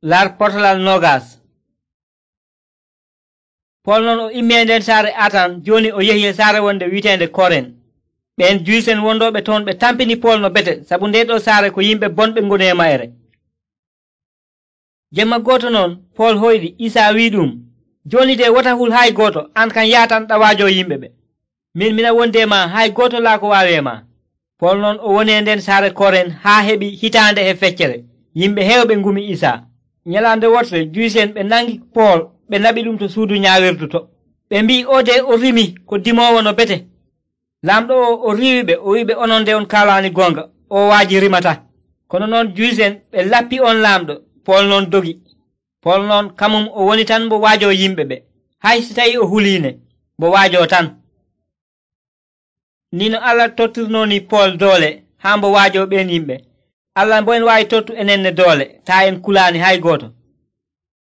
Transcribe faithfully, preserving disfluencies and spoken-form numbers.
Lar potalal nogas. Pol non o immi e nden saare Atan, joni o yehi e saare wonde wi'etende Koren. ɓen Juysen wondoɓe toon ɓe tampini Pol no bete, sabu nde ɗo saare ko yimɓe bonɓe ngoni e mayre. Jemma goto noon Pol hoyɗi Isa wi ɗum, joni de wota hul hay goto, an kan yatanɗa waajo yimɓe ɓe. Min mina wondi e ma, hay goto laa ko waawi e ma. Pol noon o woni e nden saare Koren haa heɓi hitaande e feccere. Yimɓe heewɓe ngumi Isa. Nyalande wotre Juysen ɓe nangi Pol ɓe naɓi ɗum to suudu ñaawirdu to. ɓe mbi o de o rimi ko dimowo no bete. Lamɗo o o riiwi ɓe o wiɓe onon nde on kaalani gonga, o waaji rimata. Kono noon Juysen ɓe lappi on lamɗo. Pol noon dogi. Pol noon kamum o woni tan mbo waajo yimɓe ɓe, hay si tawi o huliine mbo waajo tan. Ni no Allah tottirnoni Pol doole haa mbo waajo ɓen yimɓe. Allah mbo en waawi tottu enenne doole taa en kulaani hay gooto.